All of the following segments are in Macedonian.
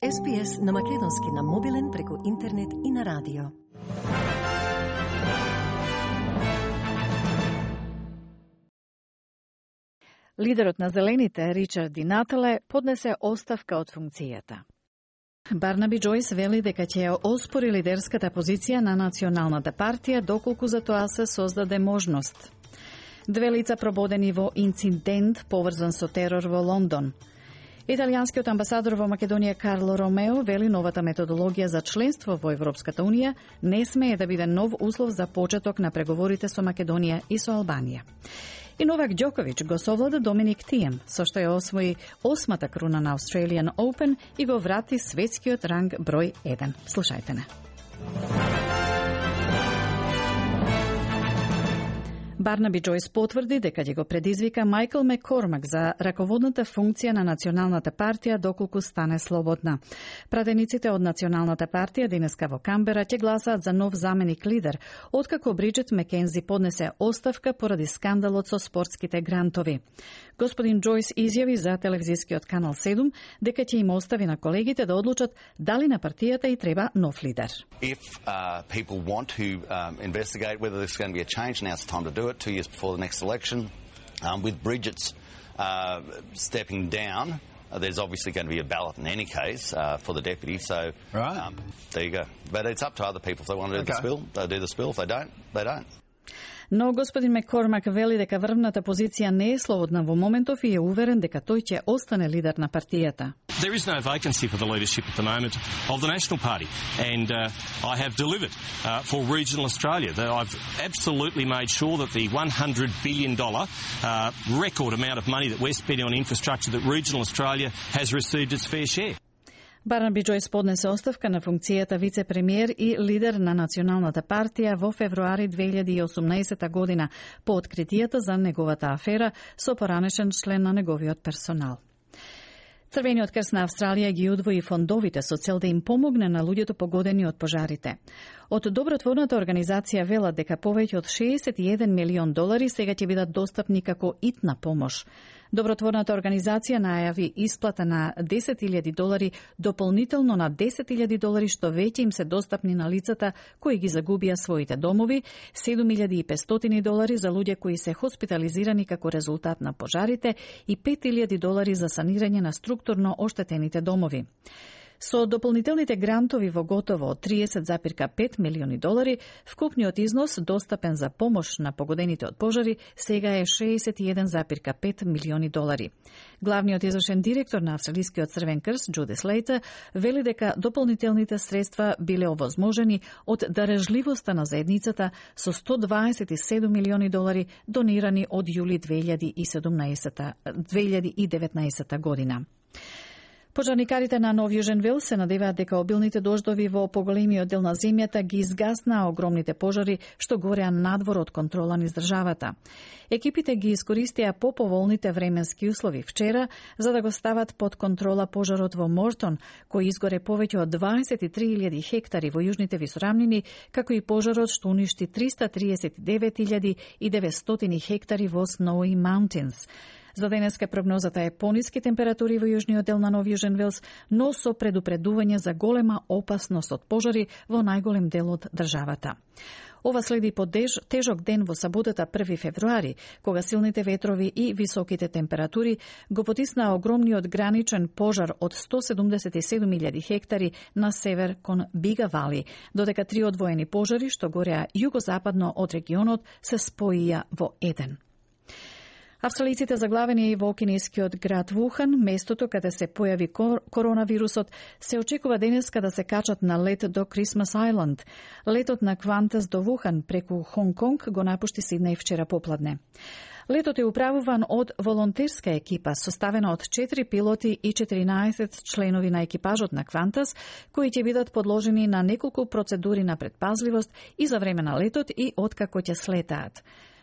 SPS на македонски на мобилен преку интернет и на радио. Лидерот на Зелените, Ричард Ди Натале, поднесе оставка од функцијата. Барнаби Джојс вели дека ќе ја оспори лидерската позиција на Националната партија доколку за тоа се создаде можност. Две лица прободени во инцидент поврзан со терор во Лондон. Италијанскиот амбасадор во Македонија Карло Ромео вели новата методологија за членство во Европската Унија не смее да биде нов услов за почеток на преговорите со Македонија и со Албанија. И Новак Џоковиќ го совлада Доминик Тием, со што ја освои 8-та круна на Australian Open и го врати светскиот ранг број 1. Слушајте не. Барнаби Джојс потврди дека ќе го предизвика Майкл Маккормак за раководната функција на Националната партија доколку стане слободна. Пратениците од Националната партија денеска во Камбера ќе гласаат за нов заменик лидер, откако Бриджит Макензи поднесе оставка поради скандалот со спортските грантови. Господин Джојс изјави за телевизискиот канал 7 дека ќе им остави на колегите да одлучат дали на партијата и треба нов лидер. If people want to investigate whether there's going to be a change, now's the time to do it. 2 years before the next election, with Bridget's stepping down, there's obviously going to be a ballot in any case for the deputy. So right. There you go. But it's up to other people. If they want to do the spill, they'll do the spill. If they don't, they don't. Но господин Маккормак вели дека врвната позиција не е слободна во моментов и е уверен дека тој ќе остане лидер на партијата. There is no vacancy for the leadership at the moment of the National Party, and I have delivered for regional Australia. I've absolutely made sure that the $100 billion record amount of money that we're spending on infrastructure, that regional Australia has received its fair share. Барнаби Джојс поднесе оставка на функцијата вице-премиер и лидер на Националната партија во февруари 2018 година по откритијата за неговата афера со поранешен член на неговиот персонал. Црвениот крст на Австралија ги удвои фондовите со цел да им помогне на луѓето погодени од пожарите. Од добротворната организација велат дека повеќе од $61 милион сега ќе бидат достапни како итна помош. Добротворната организација најави исплата на $10,000 дополнително на $10,000 што веќе им се достапни на лицата кои ги загубија своите домови, $7,500 за луѓе кои се хоспитализирани како резултат на пожарите и $5,000 за санирање на структурно оштетените домови. Со дополнителните грантови во готово $30,5 милиони, вкупниот износ достапен за помош на погодените од пожари сега е $61,5 милиони. Главниот извршен директор на Австралискиот Црвен крст, Джуди Слейтер, вели дека дополнителните средства биле овозможени од дарежливоста на заедницата со $127 милиони донирани од јули 2019 година. Пожарникарите на Нов Јужен Велс се надеваат дека обилните дождови во поголемиот дел на земјата ги изгаснаа огромните пожари што гореа надвор од контрола низ државата. Екипите ги искористија поповолните временски услови вчера за да го стават под контрола пожарот во Мортон, кој изгоре повеќе од 23,000 хектари во јужните висорамнини, како и пожарот што уништи 339,900 хектари во Snowy Mountains. За денеска прогнозата е пониски температури во јужниот дел на Нов Јужен Велс, но со предупредување за голема опасност од пожари во најголем дел од државата. Ова следи по тежок ден во саботата 1 февруари, кога силните ветрови и високите температури го потиснаа огромниот граничен пожар од 177,000 хектари на север кон Бига Вали, додека 3 одвоени пожари што гореа југозападно од регионот се споија во еден. Австралиците заглавени во кинескиот град Вухан, местото каде се појави коронавирусот, се очекува денеска да се качат на лет до Christmas Island. Летот на Qantas до Вухан преку Хонг Конг го напушти Сиднеј вчера попладне. Летот е управуван од волонтерска екипа, составена од 4 пилоти и 14 членови на екипажот на Qantas, кои ќе бидат подложени на неколку процедури на предпазливост и за време на летот и откако ќе слетаат.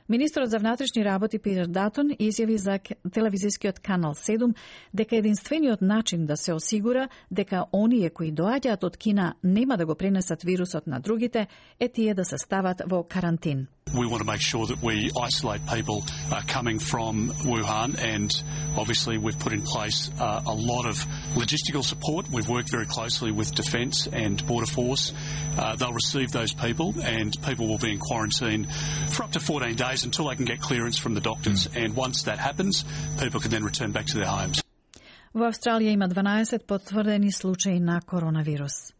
Министрот за внатрешни работи Питер Датон изјави за телевизискиот канал 7 дека единствениот начин да се осигура дека оние кои доаѓаат од Кина нема да го пренесат вирусот на другите е тие да се стават во карантин. We want to make sure that we isolate people coming from Wuhan, and obviously we've put in place a lot of logistical support. We've worked very closely with Defence and Border Force. They'll receive those people, and people will be in quarantine for up to 14 days until they can get clearance from the doctors. And once that happens, people can then return back to their homes. Во Австралија има 12 потврдени случаи на коронавирус.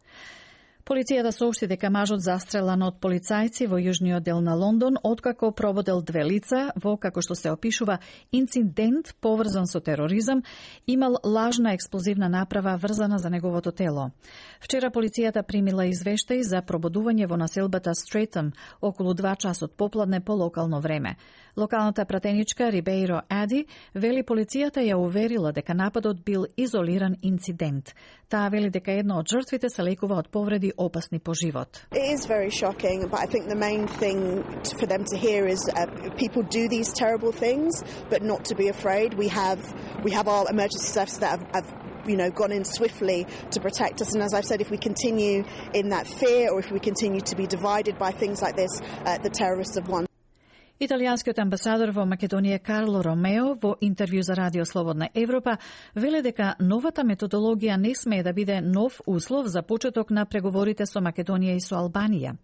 Полицијата соопшти дека мажот застрелан од полицајци во јужниот дел на Лондон откако прободел 2 лица во, како што се опишува, инцидент поврзан со тероризам, имал лажна експлозивна направа врзана за неговото тело. Вчера полицијата примила извештај за прободување во населбата Стрейтон околу 2 часот попладне по локално време. Локалната пратеничка Рибеиро Ади вели полицијата ја уверила дека нападот бил изолиран инцидент. Таа вели дека една од жртвите се лекува од повреди опасни по живот. It is very shocking, but I think the main thing for them to hear is people do these terrible things, but not to be afraid. We have our emergency services that have gone in swiftly to protect us. And as I've said, if we continue in that fear, or if we continue to be divided by things like this, the terrorists have won. Италијанскиот амбасадор во Македонија Карло Ромео во интервју за Радио Слободна Европа веле дека новата методологија не смее да биде нов услов за почеток на преговорите со Македонија и со Албанија.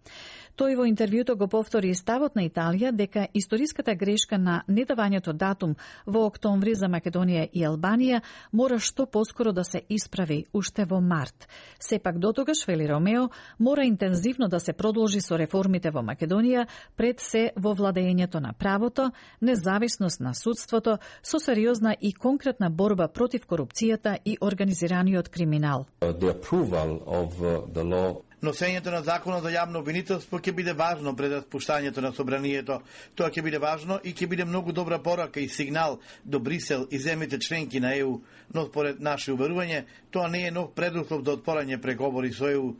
Тој во интервјуто го повтори и ставот на Италија дека историската грешка на недавањето датум во октомври за Македонија и Албанија мора што поскоро да се исправи уште во март. Сепак дотогаш, вели Ромео, мора интензивно да се продолжи со реформите во Македонија, пред се во владењето на правото, независност на судството, со сериозна и конкретна борба против корупцијата и организираниот криминал. The approval of the law. Носењето на законот за јавно обвинителство ќе биде важно пред распуштањето на собранието. Тоа ќе биде важно и ќе биде многу добра порака и сигнал до Брисел и земјите членки на ЕУ, но според наше уверување, тоа не е нов предуслов за отпорање преговори со ЕУ.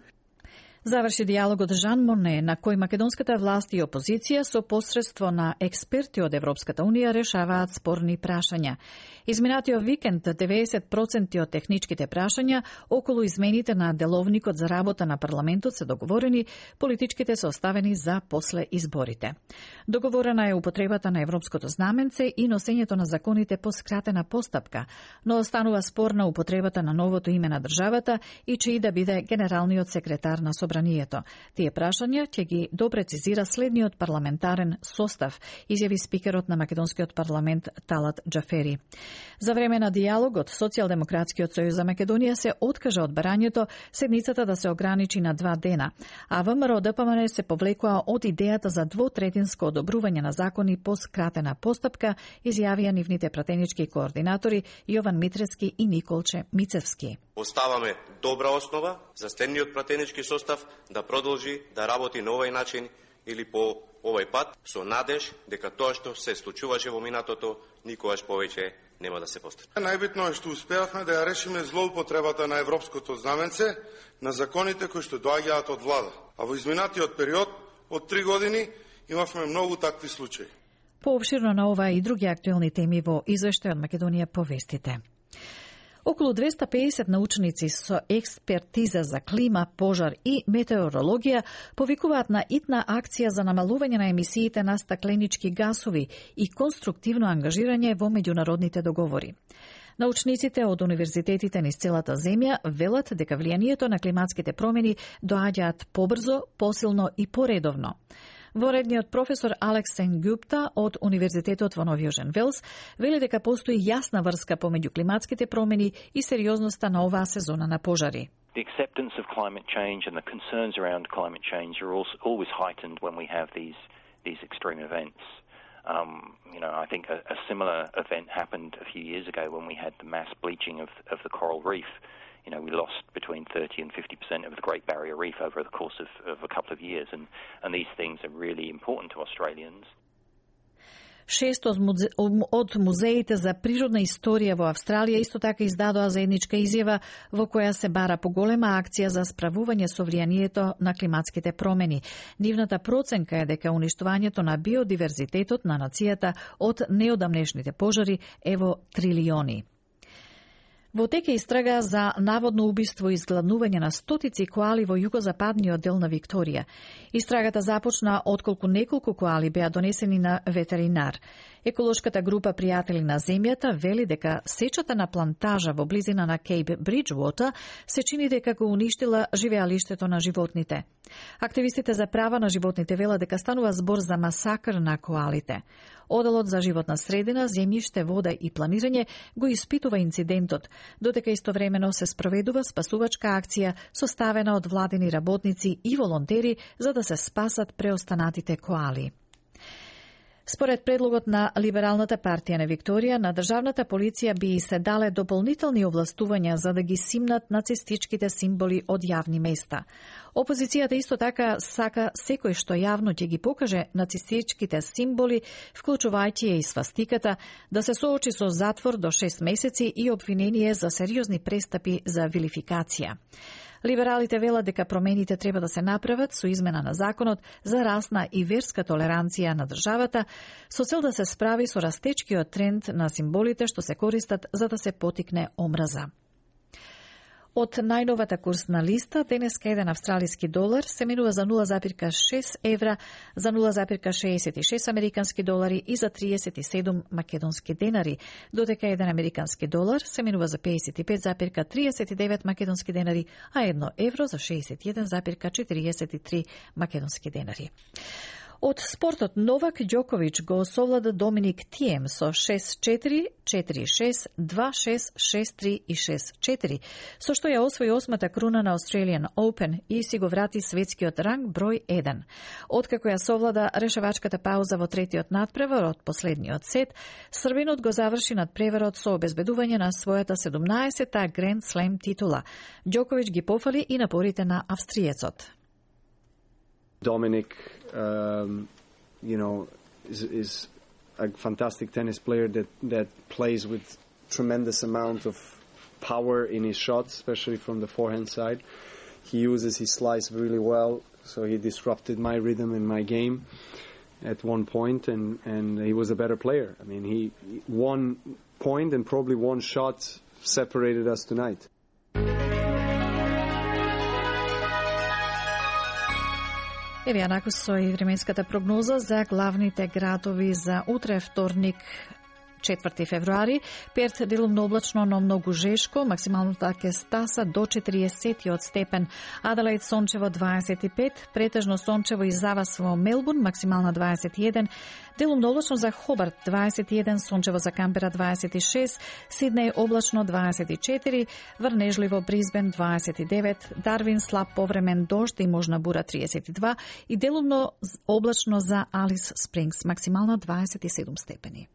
Заврши диалогот Жан Моне, на кој македонската власт и опозиција со посредство на експерти од Европската Унија решаваат спорни прашања. Изминатиот викенд 90% од техничките прашања околу измените на деловникот за работа на парламентот се договорени, политичките се оставени за после изборите. Договорена е употребата на европското знаменце и носењето на законите по скратена постапка, но останува спорна употребата на новото име на државата и чиј да биде генералниот секретар на собранието. Тие прашања ќе ги допрецизира следниот парламентарен состав, изјави спикерот на македонскиот парламент Талат Џафери. За време на диалогот, Социјалдемократскиот сојуз за Македонија се откажа од барањето седницата да се ограничи на 2 дена, а ВМРО ДПМН се повлекоа од идејата за двотретинско одобрување на закони по скратена постапка, изјавија нивните пратенички координатори Јован Митревски и Николче Мицевски. Оставаме добра основа за следниот пратенички состав да продолжи да работи на овој начин или по овој пат со надеж дека тоа што се случуваше во минатото никогаш повеќе нема да се повтори. Најбитно е што успеавме да ја решиме злоупотребата на европското знаменце на законите кои што доаѓаат од влада. А во изминатиот период од 3 години имавме многу такви случаи. Пообширно на ова и други актуелни теми во извештај од Македонија повестите. Околу 250 научници со експертиза за клима, пожар и метеорологија повикуваат на итна акција за намалување на емисиите на стакленички гасови и конструктивно ангажирање во меѓународните договори. Научниците од универзитетите низ целата земја велат дека влијанието на климатските промени доаѓаат побрзо, посилно и поредовно. Воредниот професор Алекс Сенгупта од Универзитетот во Нов Јужен Велс вели дека постои јасна врска помеѓу климатските промени и сериозноста на оваа сезона на пожари. The acceptance of climate change and the concerns around climate change are always heightened when we have these extreme events. I think a similar event happened a few years ago when we had the mass bleaching of the coral reef. We lost between 30 and 50% of the Great Barrier Reef over the course of a couple of years, and these things are really important to Australians. 6 од музеите за природна историја во Австралија исто така издадоа заедничка изјава во која се бара поголема акција за справување со влијанието на климатските промени. Нивната проценка е дека уништувањето на биодиверзитетот на нацијата од неодамнешните пожари е во трилиони. Во тек е истрага за наводно убиство и изгладнување на стотици коали во југозападниот дел на Викторија. Истрагата започна отколку неколку коали беа донесени на ветеринар. Еколошката група Пријатели на земјата вели дека сечата на плантажа во близина на Кейп Бриджвотер се чини дека го уништила живеалиштето на животните. Активистите за права на животните велат дека станува збор за масакр на коалите. Оделот за животна средина, земјиште, вода и планирање го испитува инцидентот, додека истовремено се спроведува спасувачка акција составена од владени работници и волонтери за да се спасат преостанатите коали. Според предлогот на Либералната партија на Викторија, на државната полиција би се дале дополнителни овластувања за да ги симнат нацистичките символи од јавни места. Опозицијата исто така сака секој што јавно ќе ги покаже нацистичките символи, вклучувајќи и свастиката, да се соочи со затвор до 6 месеци и обвинение за сериозни престапи за вилификација. Либералите велат дека промените треба да се направат со измена на законот за расна и верска толеранција на државата, со цел да се справи со растечкиот тренд на символите што се користат за да се потикне омраза. Од најновата курсна листа, денеска еден австралиски долар се менува за 0,6 евра, за 0,66 американски долари и за 37 македонски денари, додека еден американски долар се менува за 55,39 македонски денари, а 1 евро за 61,43 македонски денари. Од спортот Новак Ѓоковиќ го осовлада Доминик Тием со 6-4, 4-6, 2-6, 6-3 и 6-4, со што ја освои 8-та круна на Australian Open и си го врати светскиот ранг број 1. Откако ја совлада решавачката пауза во третиот надпревар од последниот сет, Србинот го заврши надпреварот со обезбедување на својата 17-та Grand Slam титула. Ѓоковиќ ги пофали и напорите на австриецот. Dominic, is a fantastic tennis player that plays with tremendous amount of power in his shots, especially from the forehand side. He uses his slice really well, so he disrupted my rhythm in my game at one point, and he was a better player. I mean, he 1 point and probably 1 shot separated us tonight. Еве ја накусо и временската прогноза за главните градови за утре вторник 4 февруари. Перт делумно облачно, но многу жешко, максималната ќе стаса до 40 степен. Аделаид сончево 25, претежно сончево и завас во Мелбурн, максимална 21, делумно облачно за Хобарт 21, сончево за Камбера 26, Сиднеј облачно 24, врнежливо Бризбен 29, Дарвин слаб повремен дожд и можна бура 32 и делумно облачно за Алис Спрингс, максимална 27 степени.